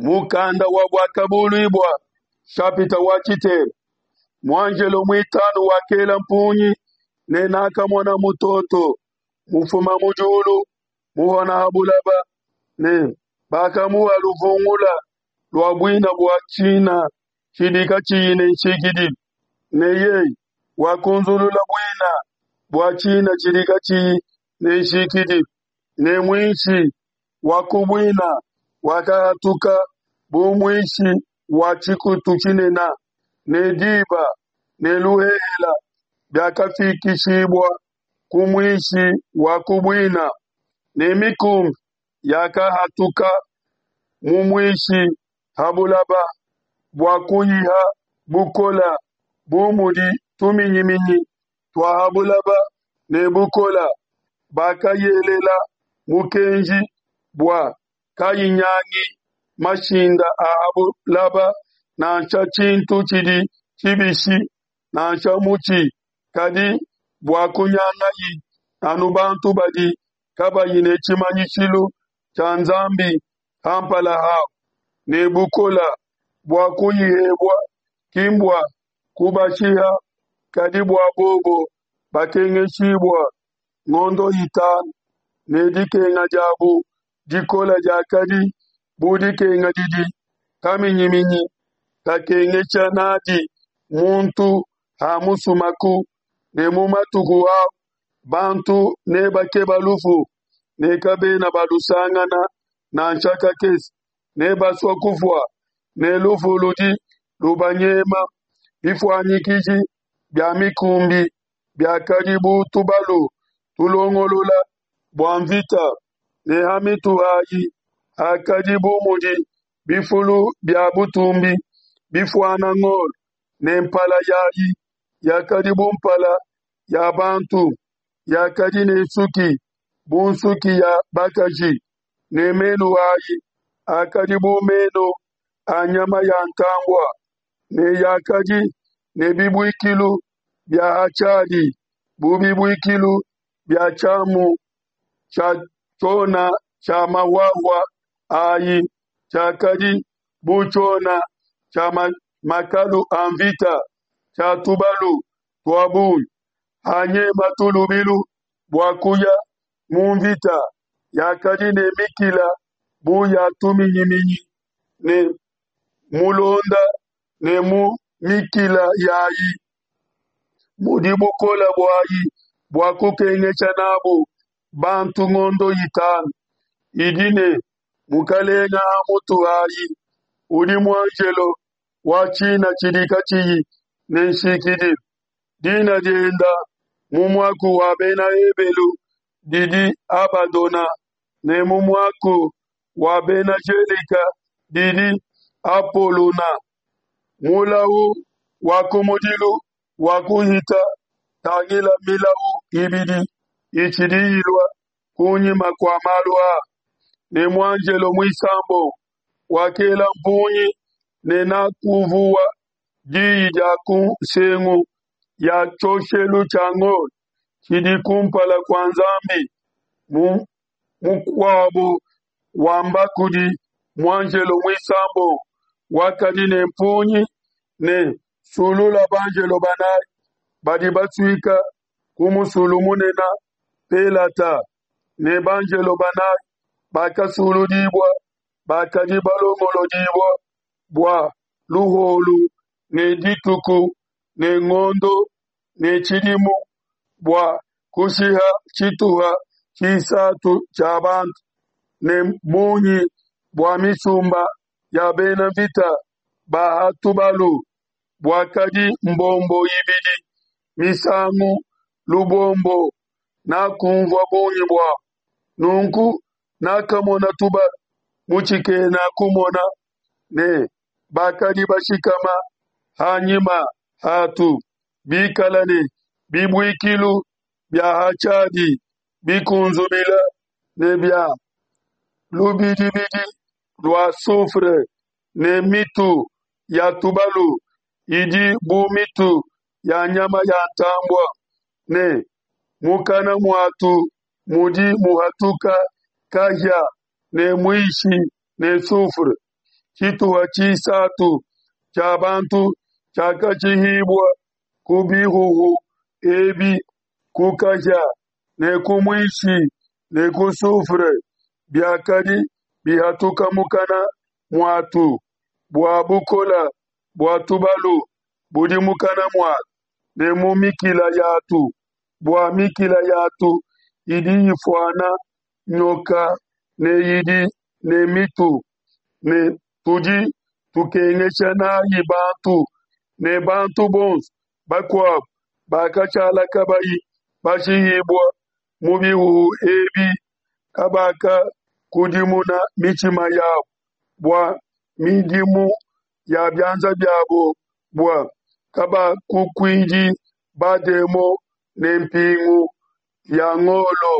Mukanda wa Buakabuluibua nshapita wa tshitema. Muanjelo muitanu wakela mpungi, ne nakamona mutoto mufuma mu diulu muhona ha bulaba, ne bakamuha luvungula lua buina bua tshina tshidi katshiyi ne nshikidilu, ne yeye wakunzulula buina bua tshina tshidi katshiyi ne nshikidilu, ne muishi wa ku buina wakahatuka bu muishi wa tshikutu tshinene, ne diba ne luhehela biakafikishibua ku muishi wa ku buina, ne mikumbi yakahatuka mu muishi ha bulaba bua kuyiha bukola bu mudi tuminyiminyi tua ha bulaba ne bukola. Bakayelela mukenji bua kayinyangi mashinda a ha bulaba, nansha tshintu tshidi tshibishi, nansha mutshi, kadi bua kunyangayi anu bantu badi kabayi ne tshimanyishilu tshia Nzambi ha mpala habo, ne bukola bua kuyihebua ki mbua kubashiha, kadi bua bobo bakengeshibua ngondo itanu, ne dikenga diabo dikole diakadi bu dikenga didi kaminyiminyi kakengesha n'adi muntu hamusumaku, ne mu matuku au bantu nebakeba lufu, ne kabena balusangana nansha kakese, nebasua kufua, ne lufu ludi lubanyema. Bifuanyikiji bia mikumbi biakadi bu tubalu tulongolola bua nvita, ne ha mitu hai hakadi bu mudi bifulu bia butumbi bifuana ngolo, ne mpala yayi yakadi bu mpala ya bantu, yakadi ne nsuki bu nsuki ya bakaji, ne menu ayi akadi bu menu a nyama ya ntambua, ne yakadi ne bibuikilu bia ha tshiadi bu bibuikilu bia tshiamu tshia tshiona tshia mahuahua ayi, tshiakadi bu tshiona tshia makalu a nvita tshia tubalu tua bungi hanyematu lubilu bua kuya mu nvita, yakadi ne mikila bu ya tuminyiminyi ne mulonda ne mu mikila yayi mudi bukole buayi bua kukengesha n'abu bantu ngondo itanu. Idi ne mukelenge ha mutu hayi, udi muanjelo wa tshina tshidi katshiyi ne nshikidilu. Dina dienda mu muaku wa Bena Ebelu didi Abadona, ne mu muaku wa Bena Gelika didi Apolona. Mulau wa kumudilu wakuhita, tangila milau ibidi itshidi ilua kunyima kua malu aa. Ne muanjelo muisambombo wakela mpungi, ne nakunvua diyi dia ku nsengu ya tshioshelu tshia ngolo tshidi kumpala kua Nzambi, mukuabo wamba kudi muanjelo muisambombo wakadi ne mpungi ne, Sulula banjelo banayi badi basuika ku musulu munene Pelata. Ne banjelo banayi bakasuludibua bakadi balongolodibua bua luholu ne dituku ne ngondo ne tshidimu bua kushiha tshituha tshisatu tshia bantu, ne bungi bua misumba ya bena nvita ba ha tubalu buakadi mbombo ibidi misangu lubombo, nakunvua bungi buabo. Nunku nakamona tubalu mu tshikena kumona, ne bakadi bashikama ha nyima hatu, bikala ne bibuikilu bia ha tshiadi bikunzubila ne bia lubidibidi lua soufre, ne mitu ya tubalu idi bu mitu ya nyama ya ntambua, ne mukana muatu mudi muhatuka kahia ne muishi ne soufre. Tshituha tshisatu tshia bantu tshiakashihibua ku bihuhu ebi, ku kahia ne ku muishi ne ku soufre biakadi bihatuka mukana muatu, bua bukole bua tubalu budi mukana muatu ne mu mikila yatu, bua mikila yatu idi ifuana nyoka ne idi ne mitu, ne tudi tukengesha n'ai bantu. Ne bantu bonso bakuabo bakashala kabayi bashihibue mu bihuhu ebi kabakakudimuna mitshima yabo bua midimu ya bianza biabo, bua kabakukuidi bademon ne mpingu ya ngolo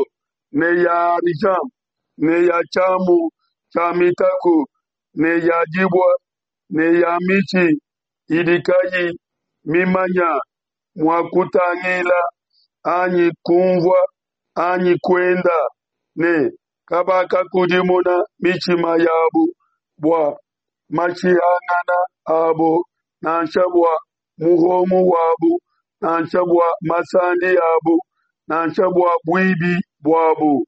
ne ya argent ne ya tshiamu tshia mitaku ne ya dibue ne ya mitshi idi kayi mimanye mua kutangila anyi kunvua anyi kuenda, ne kabakakudimuna mitshima yabo bua mashihangana abo, nansha bua muhongo wabo, nansha bua masandi abo, nansha bua buibi buabo.